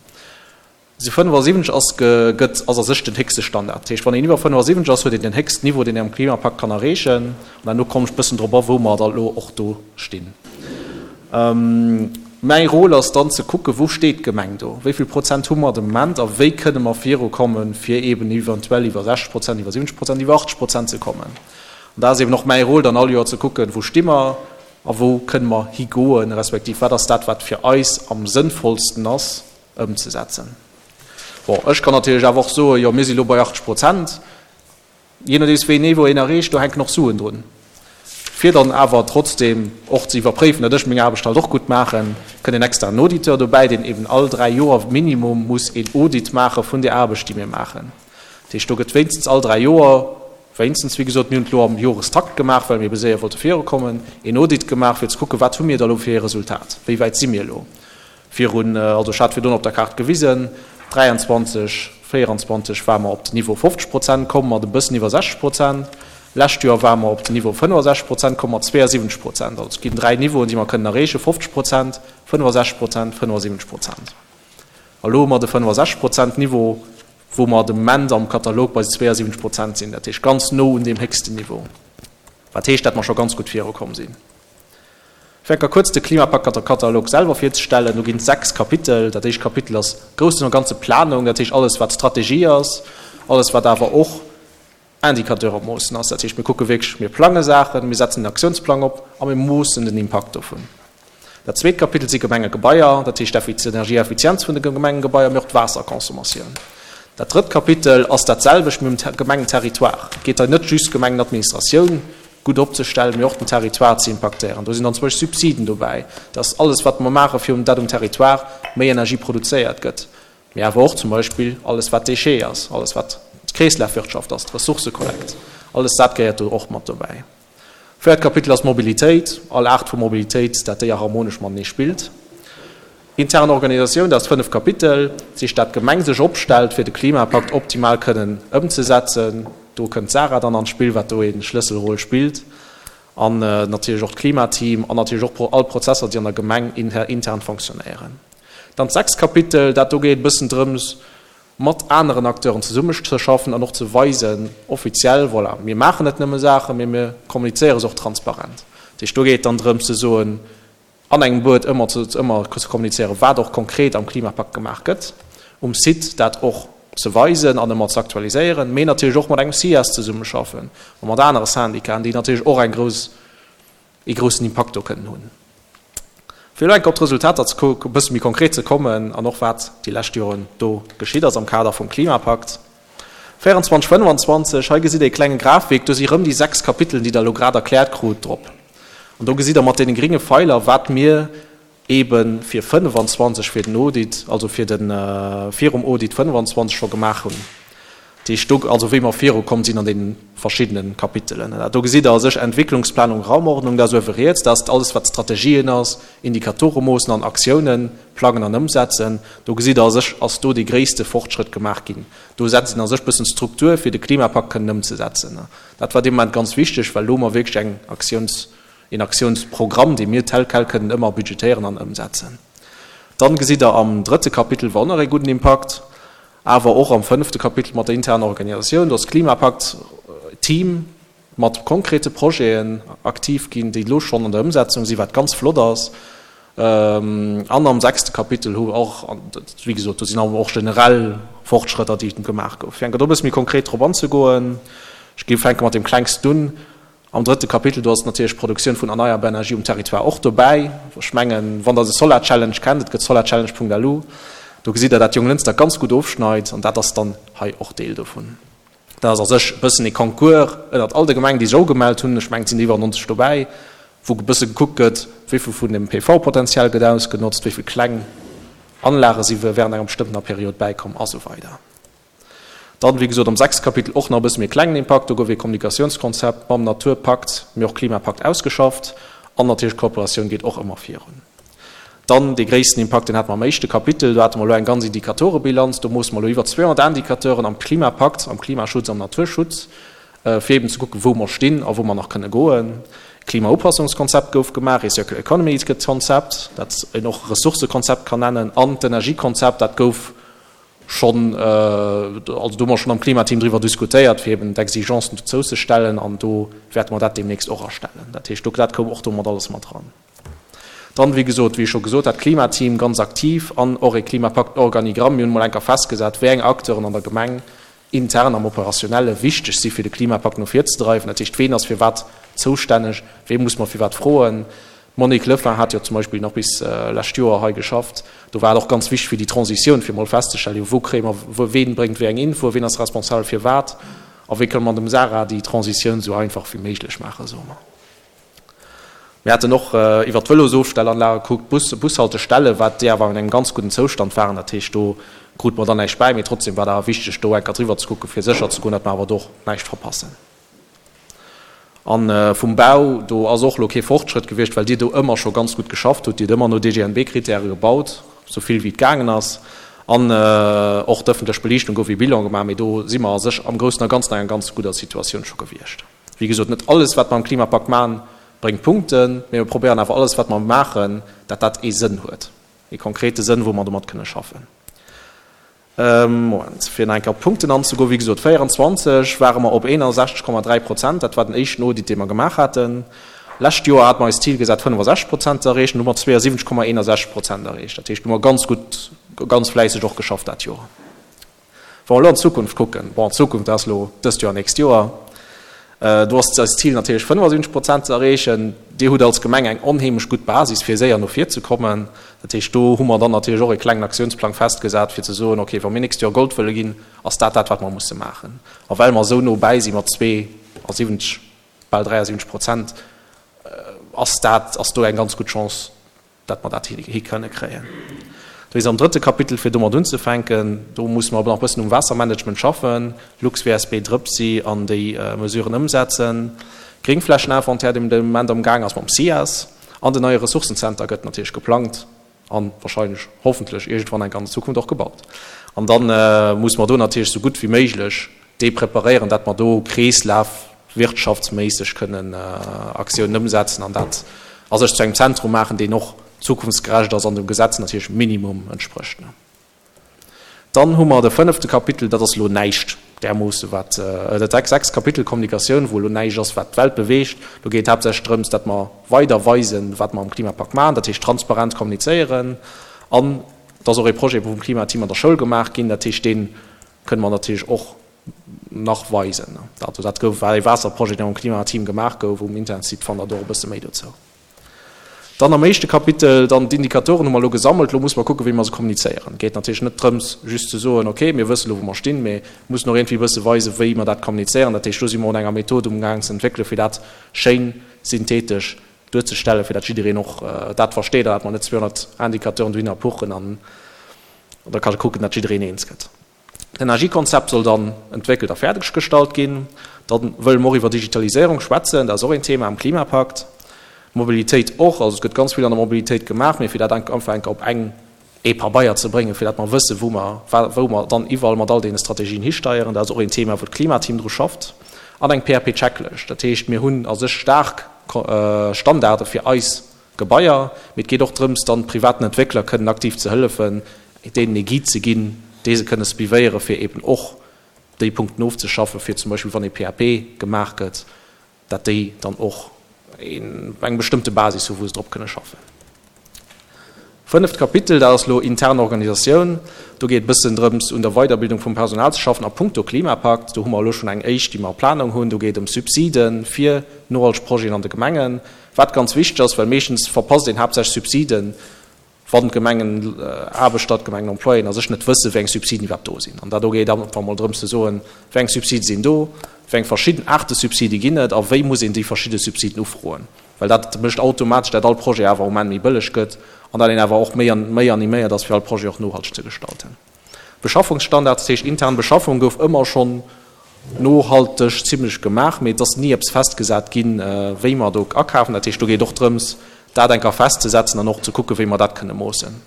Se 75 ass gëtt, ass a sech den héchste Standard. Dat heescht, wann een iwwer 75 ass, huet een den héchsten Niveau, deen een am Klimapakt kann erreechen. An herno kommen ech e bëssen drop a wou mer da elo och do stinn. Mäi Rôle ass dann ze kucken, wou steet d'Gemeng do, wéi vill Prozent hu mer de Moment a wéi kënne mer virukommen, fir eeben eventuell iwwer 60 Prozent, iwwer 70 Prozent, iwwer 80 Prozent ze kommen. An da ass eeben och mäi Rôle dann all Joer ze kucken, wou sti mer a wou kënne mer higoen, respektiv wat ass dat, wat fir eis am sënnvollsten ass, ëmzesetzen. Bon, ech kann natierlech awer och soen, jo mir si lo bei 80 Prozent. Jee nodeems wéi een Niveau een erreecht, do hänken och Suen drun. Fir dann awer trotzdeem och ze iwwerpréifen, datt ech meng Aarbecht halt och gutt maachen, kënnt en externen Auditeur dobäi, deen eben all 3 Joer minimum muss een Audit maache vun där Aarbecht, déi mir maachen. Dat heescht, do gëtt wéinstens all 3 Joer, wéinstens, wéi gesot, mir hunn et elo am Jorestakt gemaach, well mir ebe séier wollte virukommen, een Audit gemaach, fir ze kucken, wat hu mir da lo fir ee Resultat, wéi wäit si mir elo. Virun, also ech hat virdrun op der Kaart gewisen, 23, 24 ware mer op den Niveau 50 Prozent komm, mat e bëssen iwwer 60 Prozent. Lescht Joer ware mer op den Niveau 65 Prozent komm, mat 72 Prozent. Also et ginn dräi Niveauen, déi mer kënnen erreechen, 50 Prozent, 65 Prozent, 75 Prozent. A lo hu mer de 65 Prozent Niveau, wou mer de Moment am Katalog bei 72 Prozent sinn, dat heescht ganz no un deem héchsten Niveau, wat heescht, dat mer scho ganz gutt virukomm sinn. Fir enker kuerz de Klimapakt-Katalog selwer virzestellen, do ginn et 6 Kapitel. Dat éischt Kapitel ass groussen a ganze Planung, dat heescht alles wat Strategie ass, alles wat awer och Indicateure moossen ass. Dat heescht mir kucke wierklech, mir plange Saachen, mir setzen en Aktiounsplang op a mir moossen den Impakt dovun. Dat zweet Kapitel si Gemengegebaier, dat heescht d'Energieeffizienz vun de Gemengegebaier, mee och d'Waasserconsommatioun. Dat drëtt Kapitel ass dat selwecht, mee um Gemengenterritoire. Et geet hei net just Gemengenadministratioun gutt opzestellen, mee och den Territoire ze impaktéieren. Do sinn dann zum Beispill Subsiden dobäi, dass alles, wat mer maachen, fir dat um Territoire méi Energie produzéiert gëtt, mee awer och zum Beispill alles, wat Déchets ass, alles, wat d'Kreeslafwirtschaft ass, d'Ressourcëkollekt, alles dat gehéiert do och mat dobäi. Véiert Kapitel ass d'Mobilitéit, all Aart vu Mobilitéit, dat déi harmonesch matenee spillt. Intern Organisatioun, dat ass d'fënneft Kapitel, dat heescht dat d'Gemeng sech opstellt, fir de Klimapakt optimal kënnen ëmzesetzen. Do kënnt d'Sarah dann an d'Spill, wat do ee Schlësselrôle spillt, an natierlech och d'Klimateam an natierlech och all Prozesser, déi an der Gemeng intern fonctionnéieren. Dann d'sechst Kapitel, dat do geet e bëssen drëms, mat aneren Acteuren zesummezeschaffen an och ze weisen, offiziell, voilà, mir maachen net nëmme Saachen, mee mir kommunizéiere se och transparent. Dat heescht, do geet et dann drëms ze soen, an engem Wuert ëmmer ze ëmmer ze kommunizéieren, wat och konkret am Klimapakt gemaach gëtt, um Site dat och ze weisen an ëmmer ze aktualiséieren, mee natierlech och mat engem SIAS zesummeschaffen a mat anere Syndicaten, déi natierlech och eng grouss, ee groussen Impakt do kënnen hunn. Fir elo enk op d'Resultater ze e bësse méi konkret ze kommen an och wat déi lescht Joren do geschitt ass am Kader vum Klimapakt 24, 25, hei gesitt Der ee klenge Grafik, do si rëm déi 6 Kapitelen, déi Der elo grad erkläert krut, drop. An do gesitt Der mat deene gringe Feiler, wat mir eebe fir 25, fir den Audit, also fir de virum Audit 25 scho gemaach hunn. Dat heescht do, also wéi mer virukomm sinn an deene verschiddene Kapitelen. Do gesitt Der a sech Entwicklungsplanung, Raumordnung, dat ass uewe riets, dat ass alles, wat Strategien ass, Indikatore moossen an Aktiounen plangen an ëmsetzen. Do gesitt Der a sech, ass do dee gréisste Fortschrëtt gemaach ginn. Do setzt een a sech bëssen d'Struktur, fir de Klimapakt kënnen ëmzesetzen. Dat war dee Moment ganz wichteg, well elo hu mer wierklech eng Aktiouns, een Aktiounsprogramm, dee mir tel quel kënnen ëmmer budgetéieren an ëmsetzen. Dann gesitt Der am drëtte Kapitel war och nach ee gudden Impakt. Awer och am fënnefte Kapitel mat der interner Organisatioun, do ass d'Klimapakt-Team mat konkrete Projeten aktiv ginn, déi elo schonn an der Ëmsetzung sinn, wat ganz flott ass. An am sechste Kapitel hu och, wéi gesot, do sinn awer och generell Fortschrëtter, déi gemaach goufen. Fir eng Kéier do e bësse méi konkret drop anzegoen, ech géif fänke mat deem klengsten un, Am drëtte Kapitel, do ass natierlech d'Produktioun vun erneierbar Energie um Territoire och dobäi. Ech mengen, wann Der de Solar Challenge kennt, et gëtt solarchallenge.lu, do gesitt Der, dat Jonglënster ganz gutt ofschneit an dat ass dann hei och Deel dovun. Dat ass a sech e bëssen ee Concours ënnert all de Gemengen, déi sech ugemellt hunn, ech mengen, et sinn der iwwer 90 dobäi, wou e bësse gekuckt gëtt, wéi vill vun dem PV-Potenzial gëtt ausgenotzt, wéi vill kleng Anlage si während enger bestëmmtener Period bäikomm a sou weider. Dann, wéi gesot, am sechste Kapitel och nach e bësse méi e klengen Impakt. Do gouf ee Kommunikatiounskonzept mam Naturpakt, mee och Klimapakt ausgeschafft. An natierlech d'Kooperatioun geet och ëmmer virun. Dann dee gréissten Impakt, deen hate mer am éischte Kapitel. Do hate mer elo eng ganz Indikatorebilanz. Do moosse mer elo iwwer 200 Indicateuren am Klimapakt, am Klimaschutz, am Naturschutz, fir eeben ze kucken, wou mer stinn a wou mer nach kënne goen. Klimaupassungskonzept gouf gemaach, ee Circular Economy Konzept, dat een och Ressourcëkonzept kann nennen, an d'Energiekonzept, dat gouf schonn, also do hu mer schonn am Klimateam driwwer diskutéiert, fir eben d'Exigencen dozou ze stellen an do wäerte mer dat deemnächst och erstellen. Dat heescht, do, dat koum och do mat alles mat dran. Dann, wéi gesot, wéi ech scho gesot hat, Klimateam ganz aktiv an och e Klimapakt-Organigramm. Mir hunn emol eng Kéier festgesat, wéi eng Acteuren an der Gemeng intern am Operationelle wichteg si fir de Klimapakt no vir ze dreiwen. Dat heescht, ween ass fir wat zoustänneg, wee muss mer fir wat froen. D'Monique Lefin hat jo zum Beispill nach bis lescht Joer hei geschafft. Do war et och ganz wichteg fir déi Transitioun, fir emol festzestellen, jo wou kréie mer, ween bréngt wéi eng Info, ween ass responsabel fir wat a wéi kënne mer dem Sarah déi Transitioun esou einfach wéi méiglech maachen, soe mer. Mir haten och iwwert d'Vëlosofstellanlage gekuckt, d'Bus, Bushaltestellen, wat déi awer an engem ganz gudden Zoustand waren. Dat heescht, do krute mer dann näischt bäi, mee trotzdem war et awer wichteg, do eng Kéier driwwer ze kucken, fir sécher ze goen, datt mer awer do och näischt verpassen. A vum Bau, do ass och elo kee Fortschrëtt gewiescht, well Dir do ëmmer scho ganz gutt geschafft hutt. Dir hutt ëmmer no DGNB-Kritäre gebaut, esou vill wéi et gaangen ass. An och d'ëffentlech Beliichtung gouf ee Bilan gemaach, mee do si mer a sech am Groussen a Ganzen an enger ganz gudder Situatioun scho gewiescht. Wéi gesot, net alles, wat mer am Klimapakt maachen, bréngt Punkten, mee mir probéieren awer alles, wat mer maachen, dat dat ee Sënn huet, ee konkrete Sënn, wou mer domat kënne schaffen. Moment, fir nach eng Kéier op d'Punkten anzegoen, wéi gesot, 24 ware mer op 61,3 Prozent, dat war den éischten Audit, dee mer gemaach haten. Lescht Joer hate mer eis Zil gesat, 65 Prozent ze erreechen, do hu mer 72,61 Prozent erreecht. Dat heescht, do hu mer ganz gutt, ganz fläisseg och geschafft dat Joer. Wa mer elo an d'Zukunft kucken, bon, d'Zukunft ass elo dëst Joer, nächst Joer, do ass eist Zil natierlech 75 Prozent ze erreechen. Dir hutt als Gemeng eng onheemlech gutt Basis, fir séier no vir ze kommen. Dat heescht, do hu mer dann natierlech och e klengen Aktiounsplang festgesat, fir ze soen, okay, wa mir nächst Joer Gold wëlle ginn, ass dat dat, wat mer musse maachen. A well mer esou no bäi si mat 72, bal 73 Prozent, ass dat, ass do eng ganz gutt Chance, dat mer dat hi kënne kréien. Do is am drëtte Kapitel, fir domat unzefänken, do musse mer nach e bëssen um Waassermanagement schaffen, LuxWSB, Drëpsi an déi Mesuren ëmsetzen, Gréngflächeninventaire, deen de Moment am Gaang ass mam SIAS, an den neie Ressourcenzenter gëtt natierlech geplangt a wahrscheinlech, hoffentlech iergendwann eng Kéier an der Zukunft och gebaut. An da musse mer do natierlech esou gutt wéi méiglech dee preparéieren, dat mer do kreeslafwirtschaftsméisseg kënnen Aktiounen ëmsetzen an dat a sech zu engem Zentrum maachen, deen och zukunftsgerecht ass an dem Gesetz natierlech minimum entsprécht. Dann hu mer de fënnefte Kapitel, dat ass elo näischt därmoosse wat, dat sechst Kapitel Kommunikatioun, wou elo näischt ass, wat d'Welt beweegt. Do geet et haaptsächlech drëms, dat mer weider weisen, wat mer am Klimapakt maachen, dat heescht transparent kommunizéieren. An et ass och ee Projet vum Klimateam an der Schoul gemaach ginn, dat heescht dee kënne mer natierlech och nach weisen. Also dat gouf, war ee Waasserprojet, deen am Klimateam gemaach gouf. Um Internetsite fannt Der do och e bësse méi dozou. Dann am éischte Kapitel, dann d'Indikatoren hu mer elo gesammelt. Elo musse mer kucken, wéi mer se kommunizéieren. Et geet natierlech net drëms, just ze soen, okay, mir wësse elo, wou mer stinn, mee mussen och iergendwéi e bësse weisen, wéi mer dat kommunizéieren. Dat heescht, do si mer un enger Method umgaang ze entwéckelen, fir dat schéin synthetesch duerzestellen, fir dat jiddereen och dat versteet an dat mer net 200 Indicateuren dohinner puchen an da ka kucken, dat jiddereen eens gëtt. D'Energiekonzept soll dann entwéckelt a fäerdeg gestallt ginn. Da wëlle mer och iwwer Digitaliséierung schwätzen, dat ass och een Thema am Klimapakt. Mobilitéit och, also et gëtt ganz vill an der Mobilitéit gemaach, mee fir dat einfach eng Kéier op eng, ee Pabeier ze bréngen, fir dat mer wëssen, wou mer, wou mer dann iwwerall mat all deene Strategien histeieren, dat ass och een Thema, wou d'Klimateam dru schafft. An eng PAP-Checklëscht, dat heescht, mir hunn a sech staark Standarde fir eis Gebaier, mee et geet och drëms, dann privaten Entwéckler kënnen aktiv ze hëllefen, deenen ee Guide ze ginn, déi se kënne suivéiere fir eben och déi Punkten ofzeschaffen, fir zum Beispill wann ee PAP gemaach gëtt, dat déi dann och eng bestëmmte Basis hu wou se drop kënne schaffen. Fënneft Kapitel, dat ass elo intern Organisatioun. Do geet e bëssen drëms un der Weiderbildung vum Personal ze schaffen a punkto Klimapakt. Do hu mer elo schonn eng éischt, déi mer a Planung hunn. Do geet et ëm Subside fir nohalteg Projeten an de Gemengen, wat ganz wichteg ass, well meeschtens verpasst een haaptsächlech Subsiden, wann d'Gemengenaarbechter, d'Gemengenemployéen a sech net wëssen, wéi eng Subsiden iwwerhaapt do sinn. An dat do geet einfach emol drëms ze soen, wéi eng Subside sinn do, wéi eng verschidden Aarte Subside ginn et a wéi muss een déi verschidde Subsiden ufroen. Well dat mécht automatesch, dat all Projet awer um Enn méi bëlleg gëtt an dat een awer och méi an méi animéiert ass, fir all Projet och nohalteg ze gestalten. Beschaffungsstandards, dat heescht intern Beschaffung gouf ëmmer schonn nohalteg zimlech gemaach, mee et ass ni eppes festgesat ginn, wéi mer do akafen. Dat heescht, do geet och drëms, dat eng Kéier festzesetzen an och ze kucken, wéi mer dat kënne moossen.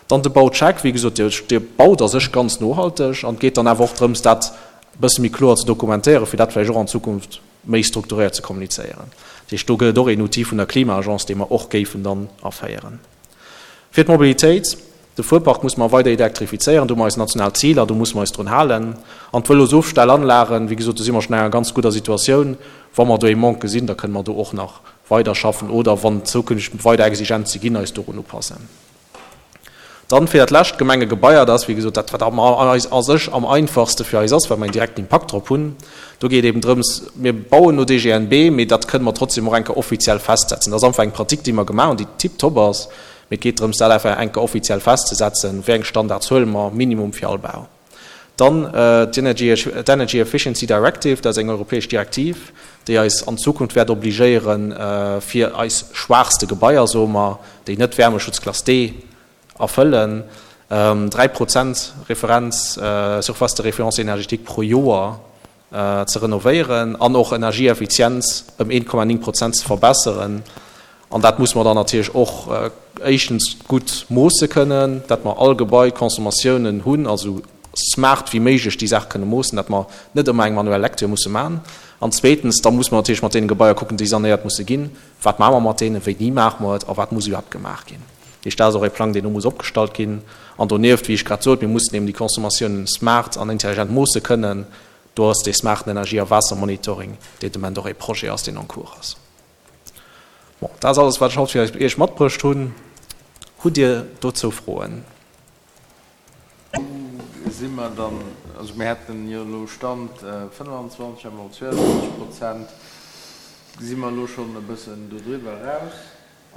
Dann de Baucheck, wéi gesot, Dir baut a sech ganz nohalteg an et geet dann awer och drëms, dat e bësse méi kloer ze dokumentéieren, fir dat vläicht och an Zukunft méi strukturéiert ze kommunizéieren. Dat heescht, do gëtt et och een Outil vun der Klima-Agence, dee mer och géifen dann aféieren. Fir d'Mobilitéit, De Fuerpark musse mer weider elektrifizéieren, do hu mer eis national Ziler, do musse mer eis drun halen. An d'Vëlosofstellanlagen, wéi gesot, do si mer schonn an enger ganz gudder Situatioun. Wa mer do ee Manque gesinn, da kënne mer do och nach weiderschaffen oder wann zukünfteg weider Exigenze ginn, eis dorun upassen. Dann fir dat lescht, d'Gemengegebaier, dat ass wéi gesot dat, wat am eis a sech am einfachste fir eis ass, well mer een direkten Impakt drop hunn. Do geet eben drëms, mir bauen no DGNB, mee dat kënne mer trotzdem och eng Kéier offiziell festsetzen. Dat ass einfach eng Pratique, déi mer gemaach hunn, déi tiptop ass, mee et geet drëms, dat einfach eng Kéier offiziell festzesetzen, wéi eng Standards huele mer minimum fir all Bau. Dann d'Energy Efficiency Directive, dat ass eng europäesch Direktiv, déi eis an Zukunft wäert obligéieren, fir eis schwaachste Gebaier, soe mer, déi net Wärmeschutzklass D erfëllen, 3 Prozent Referenz, Surface de référence énergétique pro Joer ze renovéieren an och Energieeffizienz ëm 1,9 Prozent ze verbesseren. An dat muss mer dann natierlech och éischtens gutt moosse kënnen, dat mer all Gebai d'Consommatiounen hunn, also smart wéi méiglech déi Saach kënne moossen, dat mer net ëmmer eng manuell Lecture musse maachen. An zweetens, da muss mer natierlech mat deene Gebaier kucken, déi sanéiert musse ginn, Wat maache mer mat deenen, wéini maache mer et a wat muss iwwerhaapt gemaach ginn. Dat heescht, dat ass och e Plang, deen do muss opgestallt ginn. An donieft, wéi ech grad sot, mir mussen eben déi Consommatiounen smart an intelligent moosse kënnen. Do ass dee smarten Energie a Waassermonitoring, deen de Moment och e Projet ass, deen en cours ass. Bon, dat ass alles, wat ech haut fir Iech matbruecht hunn. Hutt Dir dozou Froen? Wou si mer dann? Also mir hätten jo elo Stand 25, a mer op 22 Prozent. Si mer elo schonn e bëssen dodriwwer eraus?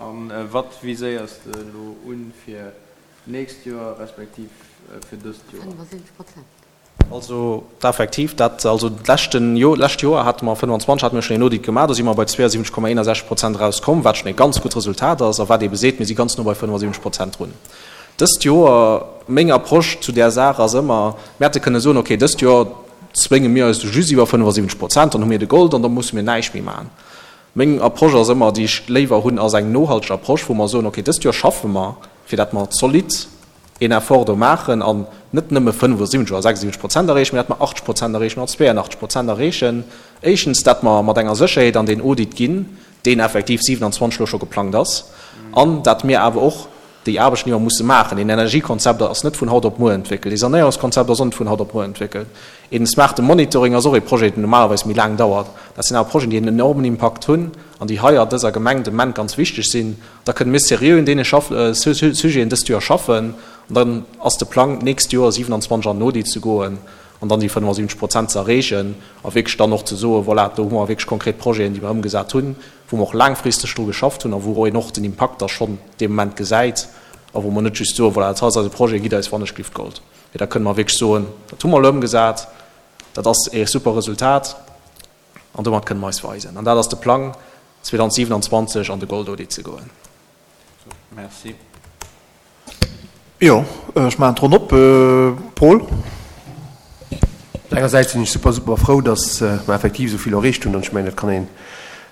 A wat viséiers de elo un fir d'nächst Joer respektiv fir dëst Joer? 75 Prozent. Also effektiv, dat, also d'leschten Jo, d'lescht Joer hate mer 25, hate mir schonn een Audit gemaach, do si mer bei 72,61 Prozent erauskomm, wat schonn ee ganz gutt Resultat ass a wat eebe seet, mir si ganz no bei 75 Prozent drun. Dëst Joer, meng Approche zu där Saach ass ëmmer, mir hätte kënne soen, okay, dëst Joer zwénge mir eis just iwwer 75 Prozent, dann hu mir de Gold an da musse mir näischt méi maachen. Meng Approche ass ëmmer, déi ech léiwer hunn, ass eng nohalteg Approche, wou mer soen, okay, dëst Joer schaffe mer, fir dat mer zolidd een Effort do maachen an net nëmme 75 oder 76 Prozent erreechen, mä dat mer 80 Prozent erreechen oder 82 Prozent erreechen. Éischtens, dat mer mat enger Sécherheet an deen Audit ginn, deen effektiv 27 elo scho geplangt ass, an dat mir awer och déi Aarbechten, déi mer musse maachen, een Energiekonzept ass net vun haut op muer entwéckelt, ee Sanéierungskonzept ass och net vun haut op muer entwéckelt, een smarte Monitoring ass och ee Projet, deen normalerweis méi laang dauert. Dat sinn awer Projeten, déi en enormen Impakt hunn an déi hei a dëser Gemeng de Moment ganz wichteg sinn. Da kënne mir seriö un deene Sujeten dëst Joer schaffen an dann ass de Plang, d'nächst Joer 27 an den Audit ze goen an dann déi 75 Prozent ze erreechen a wierklech dann och ze soen, voilà, do hu mer wierklech konkret Projeten, déi mer ëmgesat hunn, wou mer och laangfristeg dru geschafft hunn a wou een och den Impakt da schonn dee Moment gesäit a wou mer net just soen, voilà, dat ass eise Projet, gitt eis wannechglift Gold. Mee da kënne mer wierklech soen, dat hu mer elo ëmgesat, dat ass ee super Resultat. An domat kënne mer eis weisen. An dat ass de Plang, 2027 an de Goldaudit ze goen. Merci. Jo, ech maachen d'Ronn op. Paul? Engersäits sinn ech super, super frou, datt mer effektiv esou vill erreecht hunn. An ech mengen, dat kann een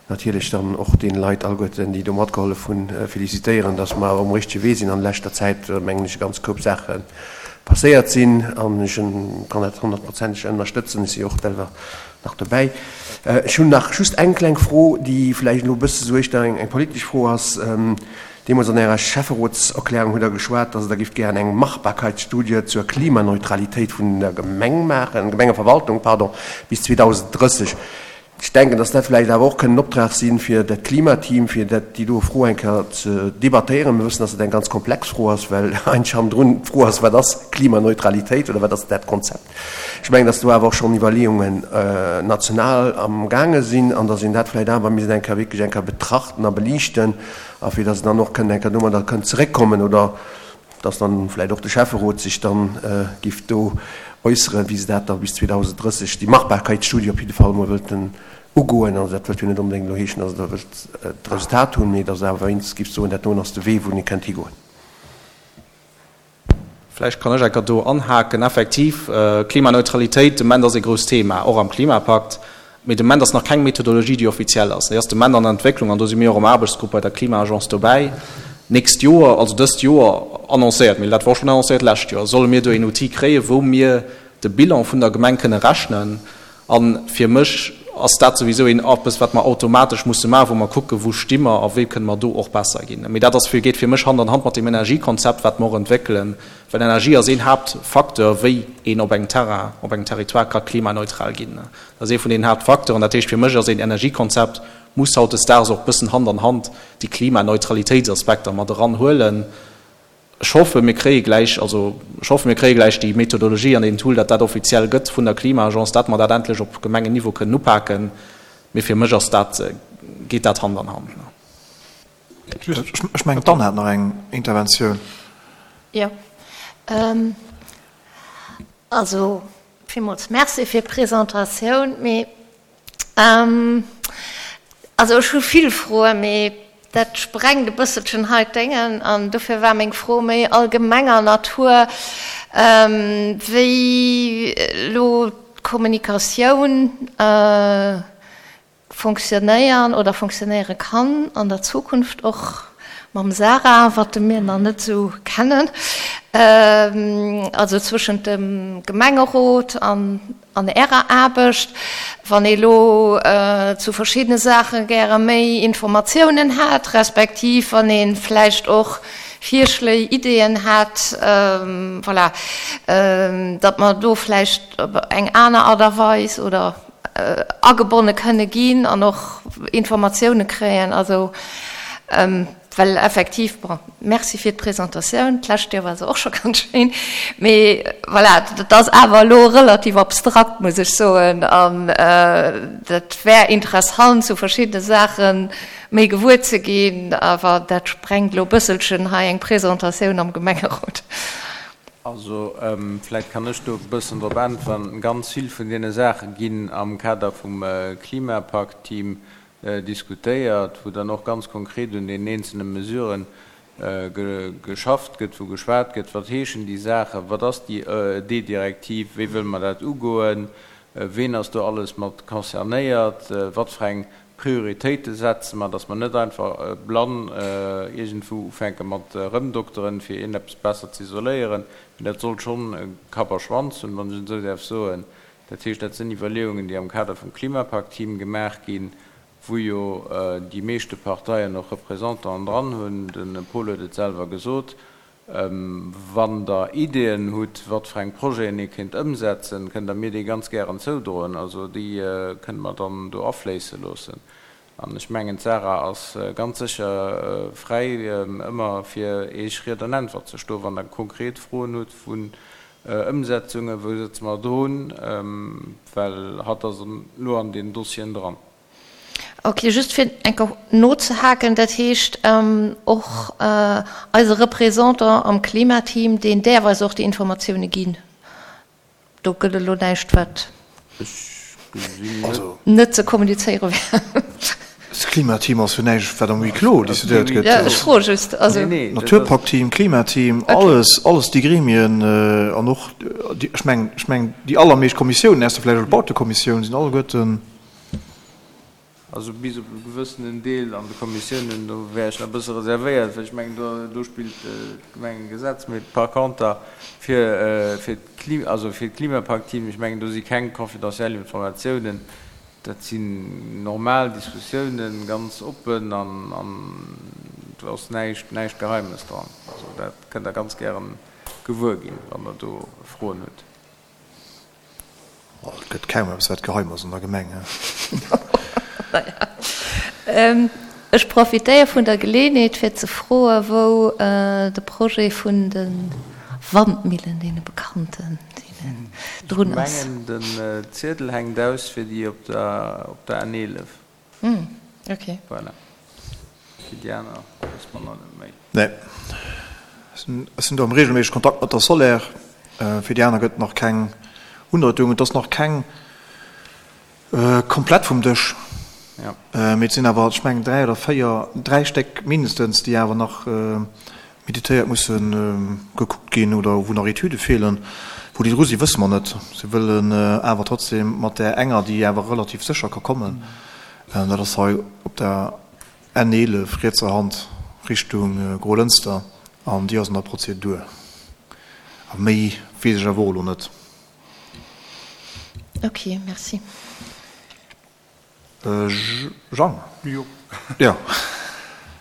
natierlech dann och deene Leit alleguerten, déi do matgehollef hunn, felicitéieren, datt mer um richtege Wee sinn. An leschter Zäit, mengen ech, e ganz Koup Saache passéiert sinn. An ech kann dat honnertprozenteg ënnerstëtzen. Ech si jo och selwer nach dobäi. Ech hunn nach just eng kleng Fro, déi vläicht elo e bësse sou éischter eng politesch Fro ass. Deemools an Ärer Schäfferotserklärung hutt Der geschwat, dass Der gifft gären eng Machbarkeitsstudie zur Klimaneutralitéit vun der Gemeng maachen, Gemengeverwaltung, pardon, bis 2030. Ech denken, dass dat vläicht awer och kënnt en Optrag sinn, fir dat Klimateam, fir dat, déi do Fro eng Kéier ze debattéieren. Mir wëssen, dass dat eng ganz komplex Fro ass, well eigentlech hannendrun d'Fro ass, Wat ass Klimaneutralitéit oder wat ass dat Konzept? Ech mengen, dass do awer och schonn Iwwerleeungen national amgaange sinn an dass een dat vläicht awer misst eng Kéier wierklech eng Kéier betrachten a beliichten a fir dass een dann och kënnt eng Kéier domadder kënnt zeréckkommen oder dass dann vläicht och de Schäfferot sech dann giff do äusseren, wéi se dat da bis 2030, déi Machbarkeitsstudie op jidde Fall emol wëllten ugoen. Also dat wëllt jo net onbedéngt elo heeschen, dass Der wëllt d'Resultat hunn, mee dass Der awer wéinstens gifft soen, dat doen ass de Wee, wou ee kënnt higoen. Vläicht kann ech enker do anhaken. Effektiv, Klimaneutralitéit de Moment ass ee grousst Thema, och am Klimapakt. Mee de Moment ass nach keng Methodologie, déi offiziell ass. Déi ass de Moment an der Entwécklung an do si mir och am Aarbechtsgrupp bei der Klima-Agence dobäi. D'nächst Joer, also dëst Joer annoncéiert, mee dat war och schonn annoncéiert d'lescht Joer, solle mir do een Outil kréien, wou mir de Bilan vun der Gemeng kënne rechnen. A fir mech ass dat souwisou een eppes, wat mer automatesch musse maachen, wou mer kucken, wou sti mer a wéi kënne mer do och besser ginn. Mee dat ass fir, geet fir mech Hand an Hand mat dem Energiekonzept, wat mer och entwéckelen, well Energie ass een Haaptfacteur, wéi een op engem Terrain, op engem Territoire ka klimaneutral ginn. Dat ass ee vun den Haaptfacteuren. Dat heescht, fir mech ass een Energiekonzept, muss hautdesdaags och bëssen Hand an Hand déi Klimaneutralitéitsaspekter mat eranhuelen. Ech hoffe mir kréie gläich, also ech hoffe mir kréie gläich déi Methodologie an deen Tool, datt dat offiziell gëtt vun der Klima-Agence, dat mer dat endlech op Gemengenniveau kënnen upaken. Mee fir mech ass dat, geet dat Hand an Hand. Ech mengen d'Anne hat nach eng Interventioun. Jo, also villmools Merci fir d'Presentatioun. Mee Also ech hu vill Froen, mee dat sprengt e bësselchen hei d'Déngen an dofir war meng Fro méi allgemenger Natur, wéi elo d'Kommunikatioun fonctionnéieren oder fonctionnéiere kann an der Zukunft och mam Sarah, wat de mir nach net esou kennen, also zwëschent dem Gemengerot an An Ärer Aarbecht, wann ee lo zu verschiddene Saache gäre méi Informatiounen hätt, respektiv wann ee vläicht och Virschléi, Ideeën hätt, voilà, datt mer do vläicht op eng aner Art a Weis oder agebonne kënne ginn an och Informatioune kréien. Also. Well effektiv, bon, merci fir d'Presentatioun, d'lescht Joer war se och scho ganz schéin, mee voilà, dat ass awer elo relativ abstrakt, muss ech soen, an dat wär interessant, zu verschiddene Saache méi gewuer ze ginn, awer dat sprengt elo e bësselchen hei eng Presentatioun am Gemengerot. Also, vläicht kann ech do e bëssen drop äntweren. Ganz vill vun deene Saache ginn am Kader vum Klimapakt-Team diskutéiert, wou dann och ganz konkret un deenen eenzelne Mesuren geschafft gëtt, wou geschwat gëtt, wat heeschen déi Saachen, wat ass déi D-Direktiv, wéi wëlle mer dat ugoen, ween ass do alles mat concernéiert, wat fir eng Prioritéite setze mer, dass mer net einfach blann iergendwou ufänke mat erëmdokteren, fir iergendeppes besser ze isoléieren, mee dat sollt schonn Kapp a Schwanz hunn, wann ech et esou däerf soen. Dat heescht, dat sinn Iwwerleeungen, déi am Kader vum Klimapakt-Team gemaach ginn, wou jo déi meeschte Parteien och Représentanten dran hunn. De Paul huet et selwer gesot. Wann Der Ideeën hutt, wat fir eng Projeten ee kéint ëmsetzen, kënnt Der mir déi ganz gären zoudroen. Also déi kënne mer dann do afléisse loossen. An ech mengen, d'Sarah ass ganz sécher fräi, ëmmer fir Iech Ried an Äntwert ze stoen, wann Der konkret Froen hutt vun Ëmsetzungen, wou sëtze mer drun, well hatt ass elo an deenen Dossieren dran. Ok, just fir eng Kéier nozehaken, dat heescht och eise Représentant am Klimateam, deen däerf eis och déi Informatioune ginn? Do gëtt elo näischt, wat net ze kommunizéiere wär. D'Klimateam ass jo näischt, wat am Huis clos decidéiert gëtt. Jo, ech froe just. Also. Naturpaktteam, Klimateam, alles, alles déi Gremien an och, ech mengen, ech mengen déi allermeescht Kommissiounen, ausser vläicht elo d'Bautekommissioun, sinn alleguerten. Also bis op e gewëssenen Deel an de Kommissiounen, do wär ech nach e bësse reservéiert, well ech mengen, do, do spillt d'Gemengegesetz. Mee par conter fir, fir d'Kli, also fir d'Klimapakt-Team, ech mengen, do si keng confidentiel Do ass näischt, näischt Geheimes dran. Also dat kënnt Der ganz gären gewuer ginn, wann Der do Froen hutt. Oh, et gëtt kaum eppes, wat geheim ass an der Gemeng, he? Naja. Ech profitéiere vun der Geleeënheet, fir ze froe wou de Projet vun de Wandmillen, deene bekannten, deenen drun ass. Ech mengen, den Ziedel hänkt aus fir déi op der N11. Hm, ok. Voilà. Fir déi aner wësse mer nach net méi. Nee. Ech sinn do am regelméissege Kontakt mat der Soler. Fir déi aner gëtt et nach keng Undeutung. Et ass nach keng komplett vum Dësch. Mee et sinn awer, ech mengen, 3 oder 4, 3 Stéck mindestens, déi awer nach meditéiert musse gekuckt ginn oder wou nach Etüde feelen. Wou déi dru sinn, wësse mer net. Si wëllen awer trotzdem mat där enger, déi awer relativ sécher ka kommen, dat ass hei op der N11 rietser Hand Richtung Grolënster, an déi ass an der Prozedur. A méi weess ech awer och elo net. Ok, merci. Jean? Jo. Jo.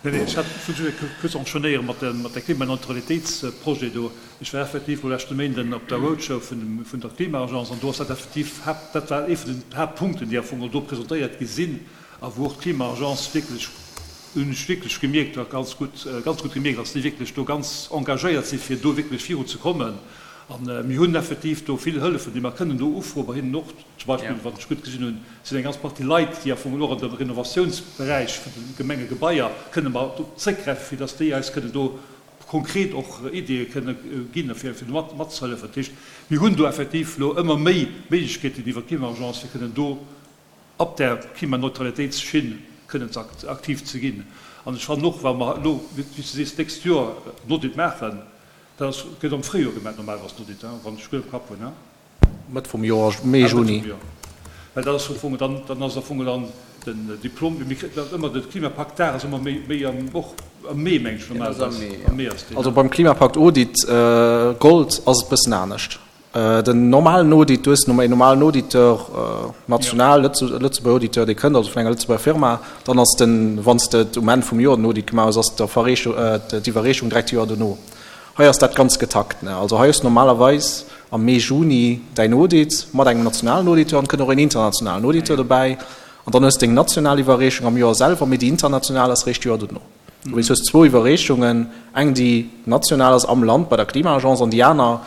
Nee, nee, ech hat wëll just kuerz enchaînéiere mat der, mat der Klimaneutralitéitsprojet do. Ech war effektiv lo leschte Méinden op der Roadshow vun dem, vun der Klima-Agence an do ass dat effektiv Haapt, dat war ee vun den Haaptpunkten, déi am Fong do presentéiert gi sinn a wou och d'Klima-Agence wierklech, hunn ech wierklech gemierkt, ganz gutt, ganz gutt gemierkt, dass déi wierklech do ganz engagéiert si fir do wierklech viruzekommen. A mir hunn effektiv do vill Hëllefen, déi mer kënnen do ufroen, bei hinnen och zum Beispill, wat ech gutt gesinn hunn, sinn eng ganz Partie Leit, déi am Fong och an dem Renovatiounsberäich vun de Gemengegebaier kënne mer do zréckgräifen, fir dass déi eis kënnen do konkret och Ideeë kënne ginn, fir do mat matzehëllefen. Dat heescht, mir hunn do effektiv elo ëmmer méi Méiglechkeeten iwwert d'Klima-Agence, fir kënnen do op där Klimaneutralitéitsschinn kënnen ze aktiv ze ginn. An ech fannen och, wa mer elo, wéi s de sees, d'nächst Joer en Audit maachen, dat ass, gëtt am Fréijoer gemaach normalerweis den Audit, wann ech gutt am Kapp hunn. Mëtt vum Joer, Mee, Juni. Well dat ass am Fong dann, dann ass am Fong dann den Diplom, mir kréien dat ëmmer, de Klimapakt-Dag ass ëmmer méi, méi am, och am Mee, meng ech normalerweis. Am Mee ass deen. Also beim Klimapakt-Audit Gold ass et bëssen anescht. Den normalen Audit, du hues en normalen Auditeur, national, Lëtzebuerger Auditeur, dee kënnt, also vun enger Lëtzebuerger Firma, dann ass den, wann s de et um Enn vum Joer den Audit gemaach hues, ass d'Iwwerreechung direkt d'Joer dono. Hei ass dat ganz getakt. Also hei hues de normalerweis am Mee, Juni däin Audit mat engem nationalen Auditeur an et kënnt och een internationalen Auditeur dobäi. An dann hues de deng national Iwwerreechung am Joer selwer, mee déi international ass réischt d'Joer dono. Du hues zwou Iwwerreechungen, eng déi national ass am Land bei der Klima-Agence an déi aner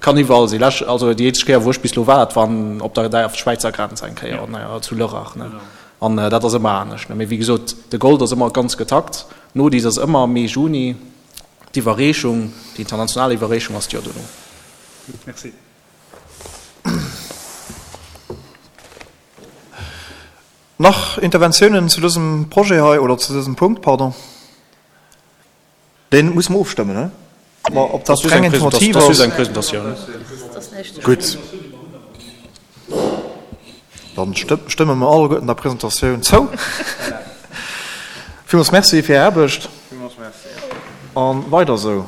Kann iwwerall sinn. Lech, also déi eenzeg Kéier wou ech bis elo war, dat war op der der Schwäizer Grenz eng Kéier an ja, zu Lörrach ne. An dat ass ëmmer anescht ne. Mee wéi gesot, de Gold ass ëmmer ganz getakt. D'Nodis ass ëmmer Mee, Juni. D'Iwwerreechung, déi international Iwwerreechung ass d'Joer dono. Gutt, merci. Nach Interventiounen zu dësem Projet hei, oder zu dësem Punkt, pardon? Deen musse mer ofstëmmen, he? Ma ob dat reng informativ ass? Gutt. Dann stëmme mer alleguerten der Presentatioun zou. Villmools Merci fir Är Aarbecht. A weider esou.